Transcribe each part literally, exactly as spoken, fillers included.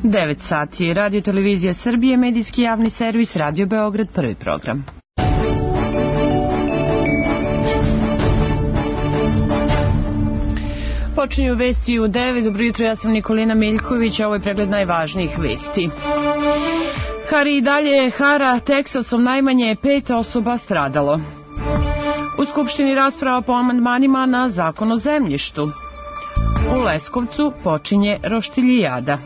devet sati. Radio Televizija Srbije, medijski javni servis, Radio Beograd, prvi program. Počinju vesti u devet. Dobro jutro, ja sam Nikolina Miljković, a ovo je pregled najvažnijih vesti. Hari i dalje hara Teksasom, najmanje pet osoba stradalo. U Skupštini rasprava po amandmanima na zakon o zemljištu. U Leskovcu počinje roštiljijada.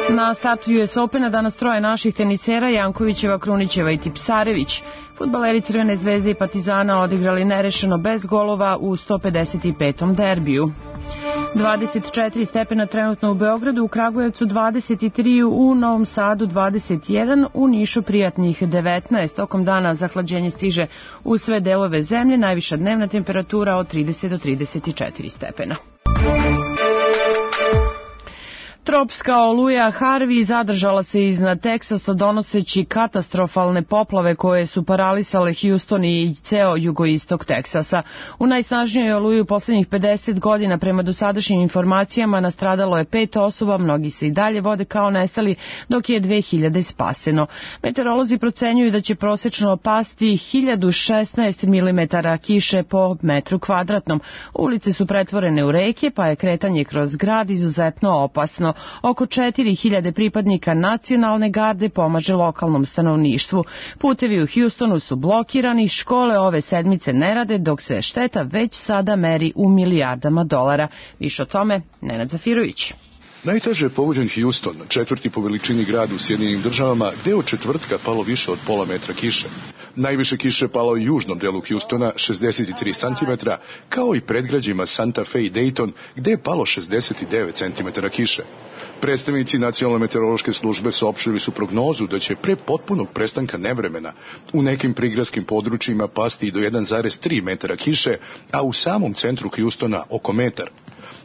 Na startu U S Opena danas troje naših tenisera, Jankovićeva, Krunićeva i Tipsarević. Fudbaleri Crvene zvezde i Partizana odigrali nerešeno bez golova u sto pedeset petom derbiju. dvadeset četiri stepena trenutno u Beogradu, u Kragujevcu dvadeset tri, u Novom Sadu dvadeset jedan, u Nišu prijatnih devetnaest. Tokom dana zahlađenje stiže u sve delove zemlje, najviša dnevna temperatura od trideset do trideset četiri stepena. Tropska oluja Harvey zadržala se iznad Teksasa donoseći katastrofalne poplave koje su paralisale Houston i ceo jugoistok Teksasa. U najsnažnijoj oluji u poslednjih pedeset godina, prema dosadašnjim informacijama, nastradalo je pet osoba, mnogi se i dalje vode kao nestali, dok je dve hiljade spaseno. Meteorolozi procenjuju da će prosečno pasti hiljadu šesnaest milimetara kiše po metru kvadratnom. Ulice su pretvorene u reke, pa je kretanje kroz grad izuzetno opasno. Oko četiri hiljade pripadnika nacionalne garde pomaže lokalnom stanovništvu. Putevi u Houstonu su blokirani, škole ove sedmice ne rade, dok se šteta već sada meri u milijardama dolara. Više o tome Nenad Zafirović. Najteže je pogođen Houston, četvrti po veličini grad u Sjedinjenim državama, gde je od četvrtka palo više od pola metra kiše. Najviše kiše palo u južnom delu Houstona, šezdeset tri centimetra, kao i predgrađima Santa Fe i Dayton, gde je palo šezdeset devet centimetara kiše. Predstavnici Nacionalne meteorološke službe saopštili su prognozu da će pre potpunog prestanka nevremena u nekim prigradskim područjima pasti i do jedan zarez tri metara kiše, a u samom centru Houstona oko metar.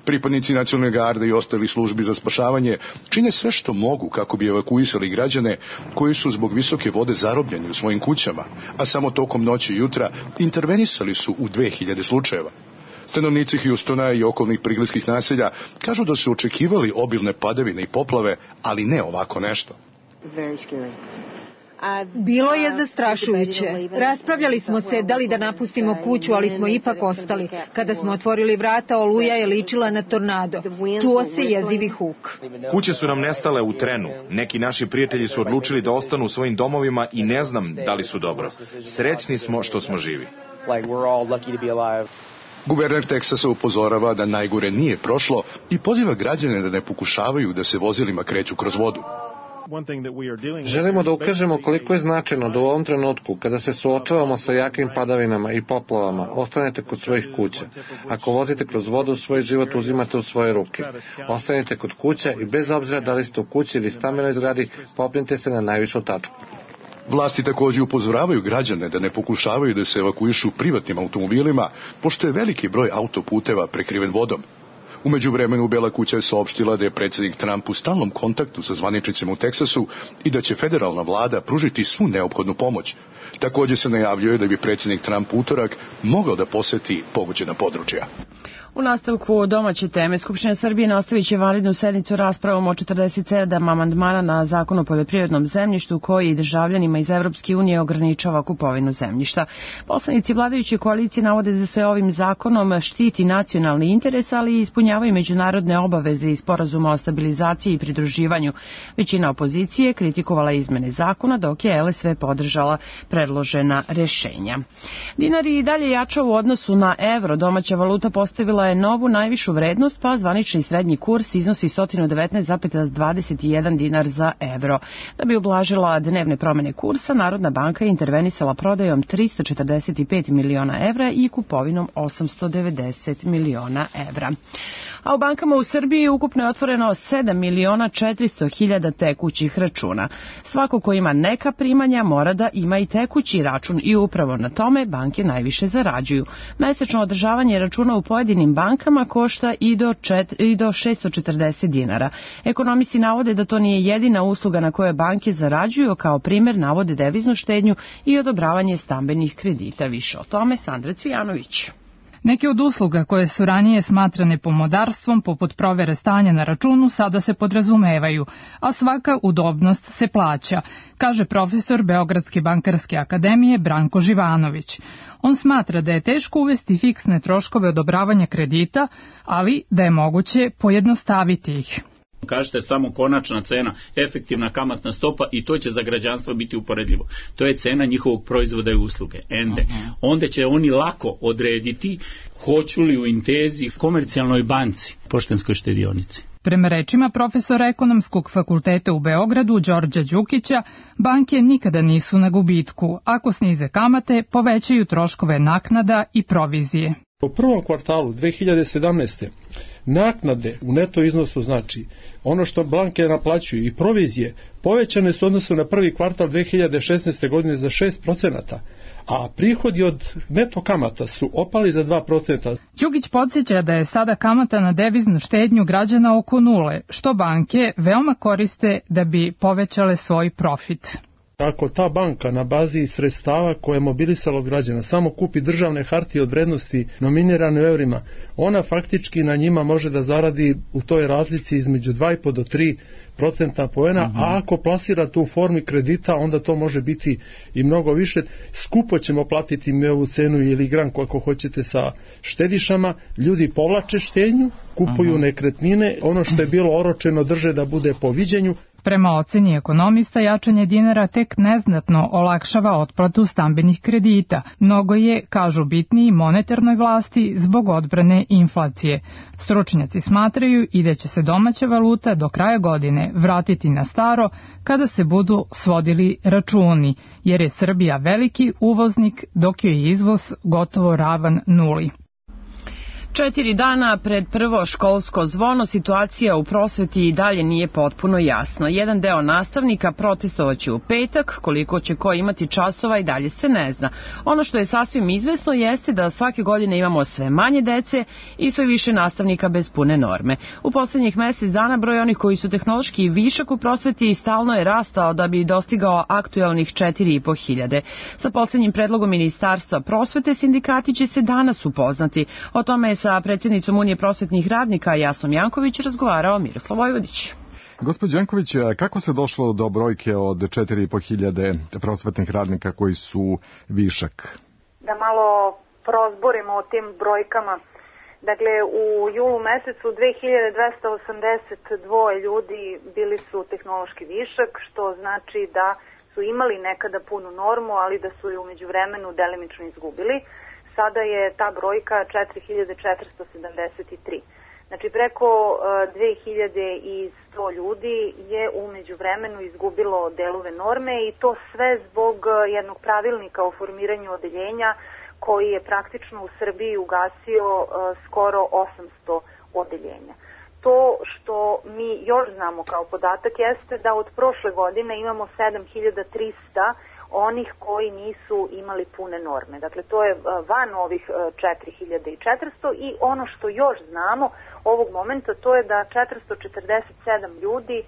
Pripadnici Nacionalne garde i ostali službi za spašavanje čine sve što mogu kako bi evakuisali građane koji su zbog visoke vode zarobljeni u svojim kućama, a samo tokom noći i jutra intervenisali su u dve hiljade slučajeva. Stanovnici Houstona i okolnih prigradskih naselja kažu da su očekivali obilne padavine i poplave, ali ne ovako nešto. Bilo je zastrašujuće. Raspravljali smo se da li da napustimo kuću, ali smo ipak ostali. Kada smo otvorili vrata, oluja je ličila na tornado. Čuo se jezivi huk. Kuće su nam nestale u trenu. Neki naši prijatelji su odlučili da ostanu u svojim domovima i ne znam da li su dobro. Srećni smo što smo živi. Guverner Teksasa upozorava da najgore nije prošlo i poziva građane da ne pokušavaju da se vozilima kreću kroz vodu. Želimo da ukažemo koliko je značajno da u ovom trenutku, kada se suočavamo sa jakim padavinama i poplavama, ostanete kod svojih kuća. Ako vozite kroz vodu, svoj život uzimate u svoje ruke. Ostanite kod kuća i bez obzira da li ste u kući ili stambenoj zgradi, popnite se na najvišu tačku. Vlasti također upozoravaju građane da ne pokušavaju da se evakuišu privatnim automobilima, pošto je veliki broj autoputeva prekriven vodom. U međuvremenu Bela kuća je saopštila da je predsjednik Trump u stalnom kontaktu sa zvaničnicima u Teksasu i da će federalna vlada pružiti svu neophodnu pomoć. Također se najavljuje da bi predsjednik Trump utorak mogao da poseti pogođena područja. U nastavku domaće teme, Skupština Srbije nastavit će vanrednu sednicu raspravom o četrdeset sedam amandmana na zakon o poljoprivrednom zemljištu koji državljanima iz Evropske unije ograničava kupovinu zemljišta. Poslanici vladajuće koalicije navode da se ovim zakonom štiti nacionalni interes, ali i ispunjavaju međunarodne obaveze iz sporazuma o stabilizaciji i pridruživanju. Većina opozicije kritikovala izmene zakona, dok je L S V podržala predložena rešenja. Dinar je i dalje jača u odnosu na evro. Domaća valuta postavila je novu najvišu vrednost, pa zvanični srednji kurs iznosi sto devetnaest zarez dvadeset jedan dinar za evro. Da bi ublažila dnevne promene kursa, Narodna banka je intervenisala prodajom trista četrdeset pet miliona evra i kupovinom osamsto devedeset miliona evra. A u bankama u Srbiji ukupno je otvoreno sedam miliona četiristo hiljada tekućih računa. Svako ko ima neka primanja mora da ima i tekući račun i upravo na tome banke najviše zarađuju. Mesečno održavanje računa u pojedinim bankama košta i do, čet, i do šessto četrdeset dinara. Ekonomisti navode da to nije jedina usluga na koje banke zarađuju, kao primjer navode deviznu štednju i odobravanje stambenih kredita. Više o tome Sandra Cvijanović. Neke od usluga koje su ranije smatrane pomodarstvom, poput provere stanja na računu, sada se podrazumevaju, a svaka udobnost se plaća, kaže profesor Beogradske bankarske akademije Branko Živanović. On smatra da je teško uvesti fiksne troškove odobravanja kredita, ali da je moguće pojednostaviti ih. Kažete samo konačna cena, efektivna kamatna stopa i to će za građanstvo biti uporedljivo. To je cena njihovog proizvoda i usluge, ende. Onda će oni lako odrediti hoću li u Intezi, Komercijalnoj banci, Poštanskoj štedionici. Prema rečima profesora Ekonomskog fakulteta u Beogradu Đorđa Đukića, banke nikada nisu na gubitku. Ako snize kamate, povećaju troškove naknada i provizije. U prvom kvartalu dve hiljade sedamnaeste. naknade u neto iznosu, znači ono što banke naplaćuju i provizije, povećane su odnosno na prvi kvartal dve hiljade šesnaeste. godine za šest procenata, a prihodi od neto kamata su opali za dva procenta. Đukić podsjeća da je sada kamata na deviznu štednju građana oko nule, što banke veoma koriste da bi povećale svoj profit. Ako ta banka na bazi sredstava koje je mobilisala od građana samo kupi državne hartije od vrednosti nominirane u eurima, ona faktički na njima može da zaradi u toj razlici između dva i po do tri procenta poena, mm-hmm. a ako plasira tu u formi kredita, onda to može biti i mnogo više. Skupo ćemo platiti mi ovu cenu ili granku ako hoćete sa štedišama. Ljudi povlače štednju, kupuju mm-hmm. nekretnine, ono što je bilo oročeno drže da bude po viđenju. Prema oceni ekonomista, jačanje dinara tek neznatno olakšava otplatu stambenih kredita. Mnogo je, kažu, bitniji monetarnoj vlasti zbog odbrane inflacije. Stručnjaci smatraju i da će se domaća valuta do kraja godine vratiti na staro kada se budu svodili računi, jer je Srbija veliki uvoznik dok je izvoz gotovo ravan nuli. Četiri dana pred prvo školsko zvono situacija u prosveti i dalje nije potpuno jasna. Jedan deo nastavnika protestovaće u petak, koliko će ko imati časova i dalje se ne zna. Ono što je sasvim izvesno jeste da svake godine imamo sve manje dece i sve više nastavnika bez pune norme. U poslednjih mesec dana broj onih koji su tehnološki višak u prosveti stalno je rastao da bi dostigao aktuelnih četiri i po hiljade. Sa poslednjim predlogom Ministarstva prosvete sindikati će se danas upoznati. O tome je sa predsjednicom Unije prosvetnih radnika Jasnom Janković razgovarao Miroslav Vojvodić. Gospođo Janković, kako se došlo do brojke od četiri i po hiljade prosvetnih radnika koji su višak? Da malo prozborimo o tim brojkama. Dakle, u julu mesecu dve hiljade dvesta osamdeset dva ljudi bili su tehnološki višak, što znači da su imali nekada punu normu, ali da su je u međuvremenu delimično izgubili. Sada je ta brojka četiri hiljade četiristo sedamdeset tri. Znači preko dve hiljade sto ljudi je u međuvremenu izgubilo delove norme i to sve zbog jednog pravilnika o formiranju odeljenja koji je praktično u Srbiji ugasio skoro osamsto odeljenja. To što mi još znamo kao podatak jeste da od prošle godine imamo sedam hiljada trista onih koji nisu imali pune norme. Dakle, to je van ovih četiri hiljade četiristo i ono što još znamo ovog momenta to je da četiristo četrdeset sedam ljudi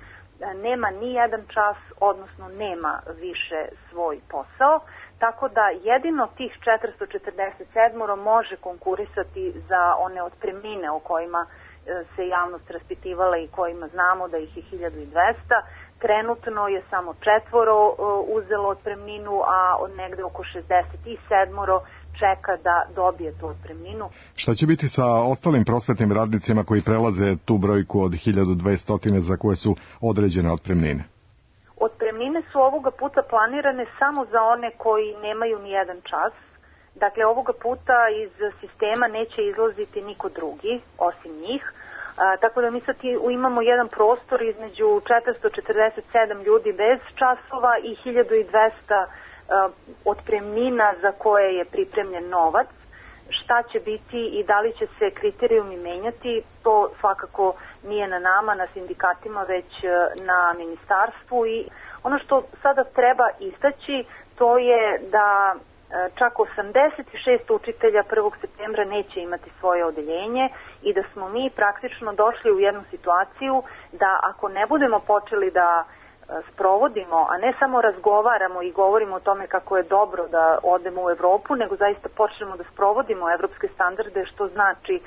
nema ni jedan čas, odnosno nema više svoj posao, tako da jedino tih četiristo četrdeset sedam može konkurisati za one otpremnine o kojima se javnost raspitivala i kojima znamo da ih je hiljadu dvesta. Trenutno je samo četvoro uzelo otpremninu, a od negde oko šezdeset sedam čeka da dobije tu otpremninu. Šta će biti sa ostalim prosvetnim radnicima koji prelaze tu brojku od hiljadu dvesta za koje su određene otpremnine? Otpremnine su ovoga puta planirane samo za one koji nemaju ni jedan čas. Dakle, ovoga puta iz sistema neće izlaziti niko drugi osim njih. A, tako da mi sad imamo jedan prostor između četiristo četrdeset sedam ljudi bez časova i hiljadu dvesta a, otpremnina za koje je pripremljen novac. Šta će biti i da li će se kriterijumi menjati, to svakako nije na nama, na sindikatima, već na ministarstvu. I ono što sada treba istaći, to je da čak osamdeset šest učitelja prvog septembra neće imati svoje odeljenje i da smo mi praktično došli u jednu situaciju da ako ne budemo počeli da sprovodimo, a ne samo razgovaramo i govorimo o tome kako je dobro da odemo u Evropu, nego zaista počnemo da sprovodimo evropske standarde, što znači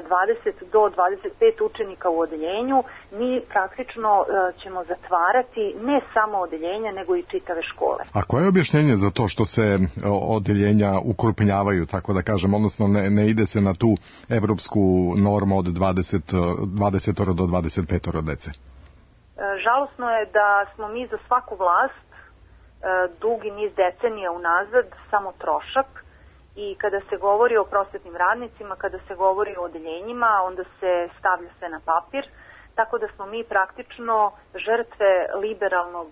dvadeset do dvadeset pet učenika u odeljenju, mi praktično ćemo zatvarati ne samo odeljenja, nego i čitave škole. A koje je objašnjenje za to što se odeljenja ukrupnjavaju, tako da kažem, odnosno ne, ne ide se na tu evropsku normu od dvadeset, dvadeset do dvadeset pet dece? Žalosno je da smo mi za svaku vlast dugi niz decenija unazad samo trošak i kada se govori o prosvetnim radnicima, kada se govori o odeljenjima, onda se stavlja sve na papir, tako da smo mi praktično žrtve liberalnog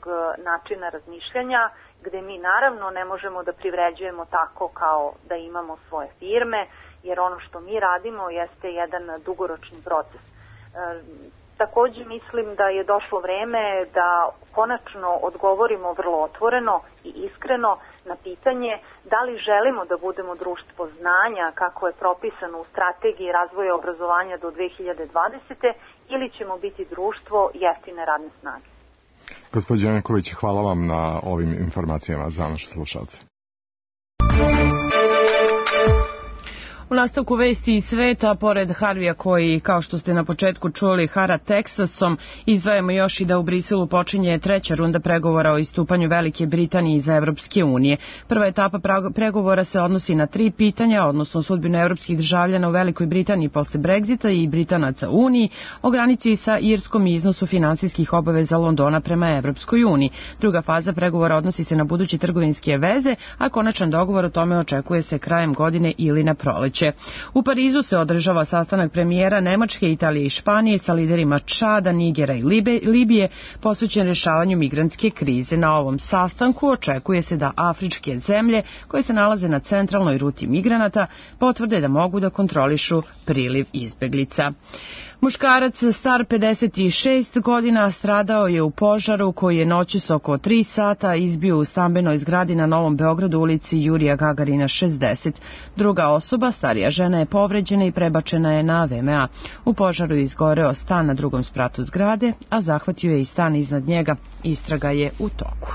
načina razmišljanja, gde mi naravno ne možemo da privređujemo tako kao da imamo svoje firme, jer ono što mi radimo jeste jedan dugoročni proces. Takođe mislim da je došlo vreme da konačno odgovorimo vrlo otvoreno i iskreno na pitanje da li želimo da budemo društvo znanja kako je propisano u strategiji razvoja obrazovanja do dve hiljade dvadesete ili ćemo biti društvo jeftine radne snage. Gospođo Janković, hvala vam na ovim informacijama za naše slušalce. U nastavku vesti iz sveta, pored Harvija koji, kao što ste na početku čuli, hara Teksasom, izdvajamo još i da u Briselu počinje treća runda pregovora o istupanju Velike Britanije iz Evropske unije. Prva etapa pregovora se odnosi na tri pitanja, odnosno sudbinu evropskih državljana u Velikoj Britaniji posle Brexita i Britanaca u Uniji, o granici sa Irskom i iznosu finansijskih obaveza Londona prema Evropskoj uniji. Druga faza pregovora odnosi se na buduće trgovinske veze, a konačan dogovor o tome očekuje se krajem godine ili na proleće. U Parizu se održava sastanak premijera Nemačke, Italije i Španije sa liderima Čada, Nigera i Libije posvećen rešavanju migrantske krize. Na ovom sastanku očekuje se da afričke zemlje koje se nalaze na centralnoj ruti migranata potvrde da mogu da kontrolišu priliv izbeglica. Muškarac star pedeset šest godina stradao je u požaru koji je noćas oko tri sata izbio u stambenoj zgradi na Novom Beogradu, ulici Jurija Gagarina šezdeset. Druga osoba, starija žena, je povređena i prebačena je na V M A. U požaru je izgoreo stan na drugom spratu zgrade, a zahvatio je i stan iznad njega. Istraga je u toku.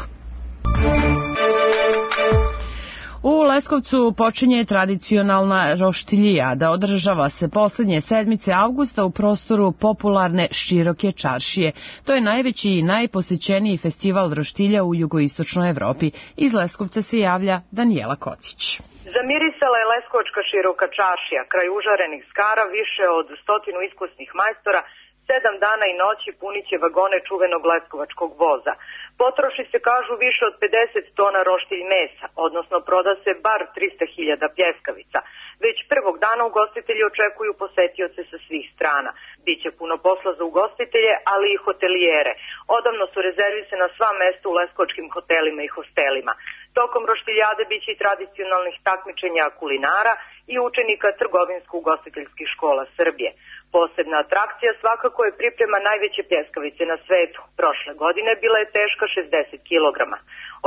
U Leskovcu počinje tradicionalna roštiljijada. Održava se poslednje sedmice avgusta u prostoru popularne Široke čaršije. To je najveći i najposećeniji festival roštilja u jugoistočnoj Evropi. Iz Leskovca se javlja Danijela Kocić. Zamirisala je Leskovačka Široka čaršija, kraj užarenih skara, više od stotinu iskusnih majstora, sedam dana i noći puniće vagone čuvenog leskovačkog voza. Potroši se, kažu, više od pedeset tona roštilj mesa, odnosno proda se bar trista hiljada pljeskavica. Već prvog dana ugostitelji očekuju posetioce sa svih strana. Biće puno posla za ugostitelje, ali i hotelijere. Odavno su rezervisana sva mesta u leskovačkim hotelima i hostelima. Tokom roštiljade biće i tradicionalnih takmičenja kulinara i učenika trgovinsko-ugostiteljskih škola Srbije. Posebna atrakcija svakako je priprema najveće pljeskavice na svetu. Prošle godine bila je teška šezdeset kilograma.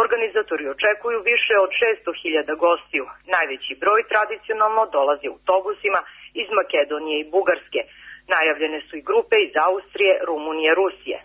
Organizatori očekuju više od šesto hiljada gostiju. Najveći broj tradicionalno dolazi autobusima iz Makedonije i Bugarske. Najavljene su i grupe iz Austrije, Rumunije, Rusije.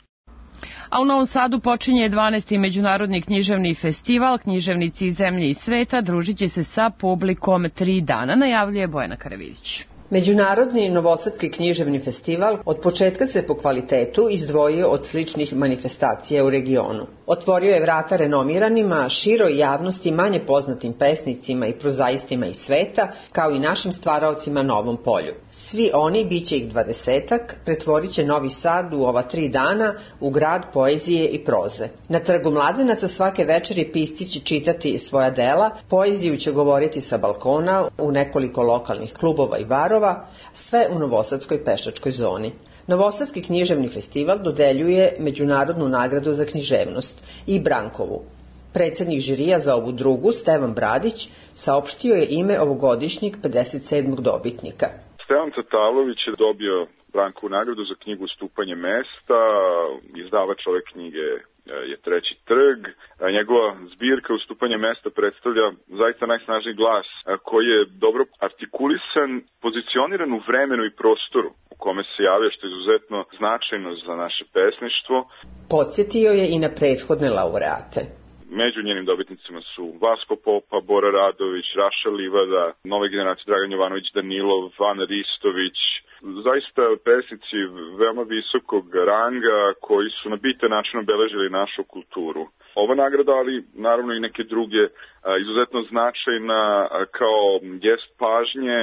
A u Novom Sadu počinje dvanaesti međunarodni književni festival. Književnici iz zemlje i sveta družit će se sa publikom tri dana, najavljuje Bojana Karavidić. Međunarodni novosadski književni festival od početka se po kvalitetu izdvojio od sličnih manifestacija u regionu. Otvorio je vrata renomiranima, široj javnosti, manje poznatim pesnicima i prozaistima iz sveta, kao i našim stvaraocima na ovom polju. Svi oni, bit će ih dvadesetak, pretvorit će Novi Sad u ova tri dana u grad poezije i proze. Na Trgu Mladenaca svake večeri pisci će čitati svoja dela, poeziju će govoriti sa balkona u nekoliko lokalnih klubova i barova, sve u Novosadskoj pešačkoj zoni. Novosadski književni festival dodeljuje međunarodnu nagradu za književnost i Brankovu. Predsednik žirija za ovu drugu, Stevan Bradić, saopštio je ime ovogodišnjeg pedeset sedmog dobitnika. Stevan Tatalović je dobio Brankovu nagradu za knjigu Stupanje mesta, izdavač ove knjige je Treći trg. Njegova zbirka Ustupanje mesta predstavlja zaista najsnažniji glas koji je dobro artikulisan, pozicioniran u vremenu i prostoru u kome se javlja, što je izuzetno značajno za naše pesništvo. Podsjetio je i na prethodne laureate. Među njenim dobitnicima su Vasko Popa, Bora Radović, Raša Livada, nove generacije Dragan Jovanović Danilov, Vana Ristović. Zaista pesnici veoma visokog ranga koji su na bitan način obeležili našu kulturu. Ova nagrada, ali naravno i neke druge, izuzetno značajna kao gest pažnje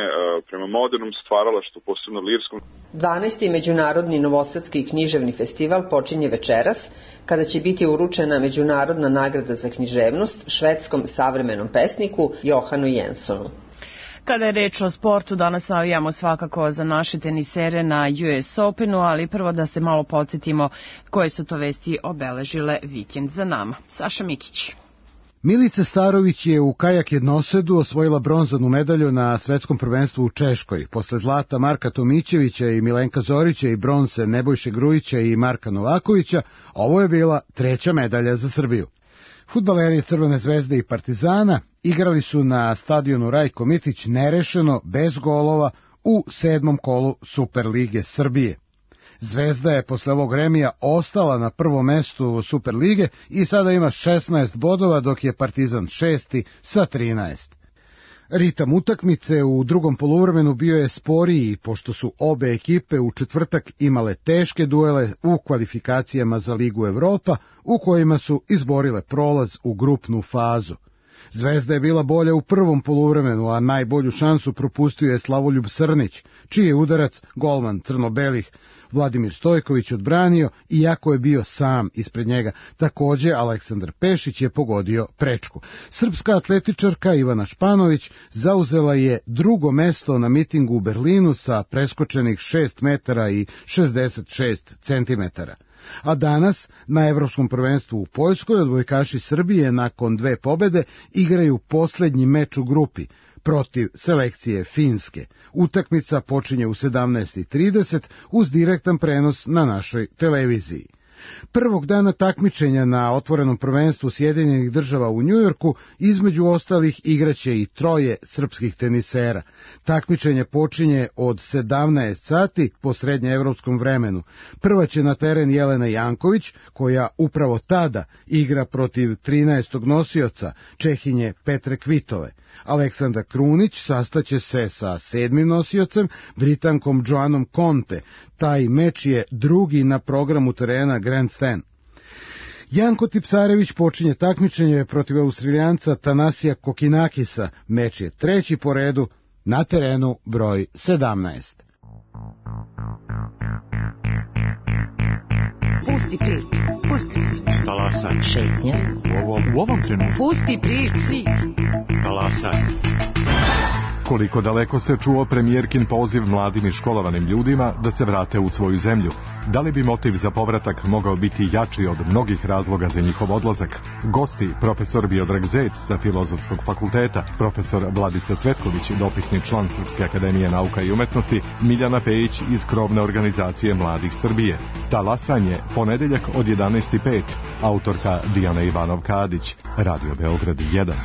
prema modernom stvaralaštvu, posebno lirskom. dvanaesti. Međunarodni novosadski književni festival počinje večeras, kada će biti uručena međunarodna nagrada za književnost švedskom savremenom pesniku Johanu Jensonu. Kada je reč o sportu, danas navijamo svakako za naše tenisere na U S Openu, ali prvo da se malo podsjetimo koje su to vesti obeležile vikend za nama. Saša Mikić. Milica Starović je u kajak jednosedu osvojila bronzanu medalju na svetskom prvenstvu u Češkoj. Posle zlata Marka Tomićevića i Milenka Zorića i bronze Nebojše Grujića i Marka Novakovića, ovo je bila treća medalja za Srbiju. Fudbaleri Crvene zvezde i Partizana igrali su na stadionu Rajko Mitić nerešeno, bez golova, u sedmom kolu Superlige Srbije. Zvezda je posle ovog remija ostala na prvom mestu Superlige i sada ima šesnaest bodova, dok je Partizan šesti sa trinaest. Ritam utakmice u drugom poluvremenu bio je sporiji, pošto su obe ekipe u četvrtak imale teške duele u kvalifikacijama za Ligu Evropa, u kojima su izborile prolaz u grupnu fazu. Zvezda je bila bolja u prvom poluvremenu, a najbolju šansu propustio je Slavoljub Srnić, čiji je udarac golman crno-belih Vladimir Stojković odbranio, iako je bio sam ispred njega. Takođe, Aleksandar Pešić je pogodio prečku. Srpska atletičarka Ivana Španović zauzela je drugo mesto na mitingu u Berlinu sa preskočenih šest metara i šezdeset šest centimetara. A danas, na Evropskom prvenstvu u Poljskoj, odbojkaši Srbije nakon dve pobede igraju poslednji meč u grupi protiv selekcije Finske. Utakmica počinje u sedamnaest trideset uz direktan prenos na našoj televiziji. Prvog dana takmičenja na otvorenom prvenstvu Sjedinjenih država u Njujorku između ostalih igraće i troje srpskih tenisera. Takmičenje počinje od sedamnaest sati po srednjeevropskom vremenu. Prva će na teren Jelena Janković, koja upravo tada igra protiv trinaestog nosioca Čehinje Petre Kvitove. Aleksandra Krunić sastaće se sa sedmim nosiocem, Britankom Joanom Conte. Taj meč je drugi na programu terena Grandstand. Janko Tipsarević počinje takmičenje protiv Australijanca Tanasija Kokinakisa. Meč je treći po redu na terenu broj sedamnaest. Pusti priču, pusti priču. Talasaj. Šetnja. U ovom, u ovom trenutku. Pusti priču. Talasaj. Koliko daleko se čuo premijerkin poziv mladim i školovanim ljudima da se vrate u svoju zemlju? Da li bi motiv za povratak mogao biti jači od mnogih razloga za njihov odlazak? Gosti, profesor Biodrag Zec sa Filozofskog fakulteta, profesor Vladica Cvetković, dopisni član Srpske akademije nauka i umetnosti, Miljana Pejić iz krovne organizacije Mladih Srbije. Talasanje, ponedeljak od jedanaest i pet, autorka Dijana Ivanov-Kadić, Radio Beograd jedan.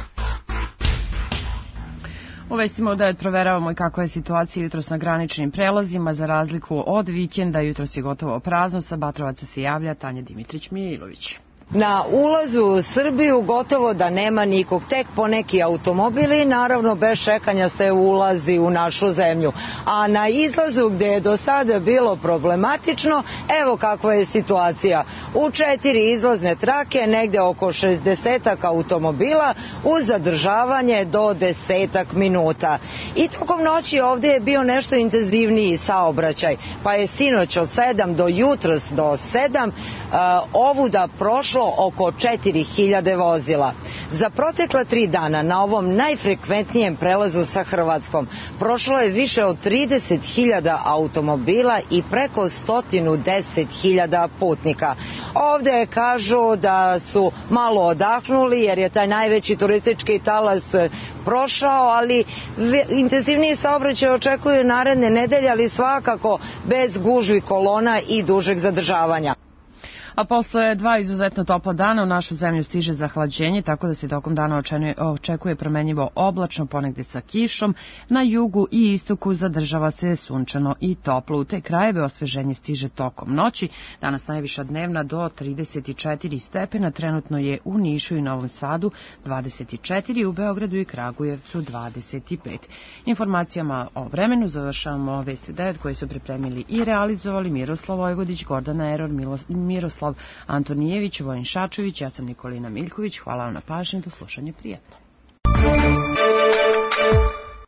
U vestima u devet proveravamo i kakva je situacija jutros na graničnim prelazima. Za razliku od vikenda, jutros je gotovo prazno. Sa Batrovaca se javlja Tanja Dimitrić-Mijailović. Na ulazu u Srbiju gotovo da nema nikog, tek poneki automobili, naravno bez čekanja se ulazi u našu zemlju. A na izlazu gde je do sada bilo problematično, evo kakva je situacija. U četiri izlazne trake, negde oko šezdesetak automobila, uz zadržavanje do desetak minuta. I tokom noći ovde je bio nešto intenzivniji saobraćaj, pa je sinoć od sedam do jutros do sedam ovuda prošlo oko četiri hiljade vozila. Za protekla tri dana na ovom najfrekventnijem prelazu sa Hrvatskom prošlo je više od trideset hiljada automobila i preko sto deset hiljada putnika. Ovde kažu da su malo odahnuli jer je taj najveći turistički talas prošao, ali intenzivniji saobraćaj očekuju naredne nedelje, ali svakako bez gužvi kolona i dužeg zadržavanja. A posle dva izuzetno topla dana u našu zemlju stiže zahlađenje, tako da se tokom dana očekuje promenljivo oblačno, ponegde sa kišom. Na jugu i istoku zadržava se sunčano i toplo. U te krajeve osveženje stiže tokom noći. Danas najviša dnevna do trideset četiri stepena, trenutno je u Nišu i Novom Sadu dvadeset četiri, u Beogradu i Kragujevcu dvadeset pet. Informacijama o vremenu završavamo Vesti u devet koje su pripremili i realizovali Miroslav Vojvodić, Gordana Eror, Miroslav Antonijević, Vojin Šačević, ja sam Nikolina Miljković. Hvala vam na pažnji, do slušanja, prijetno.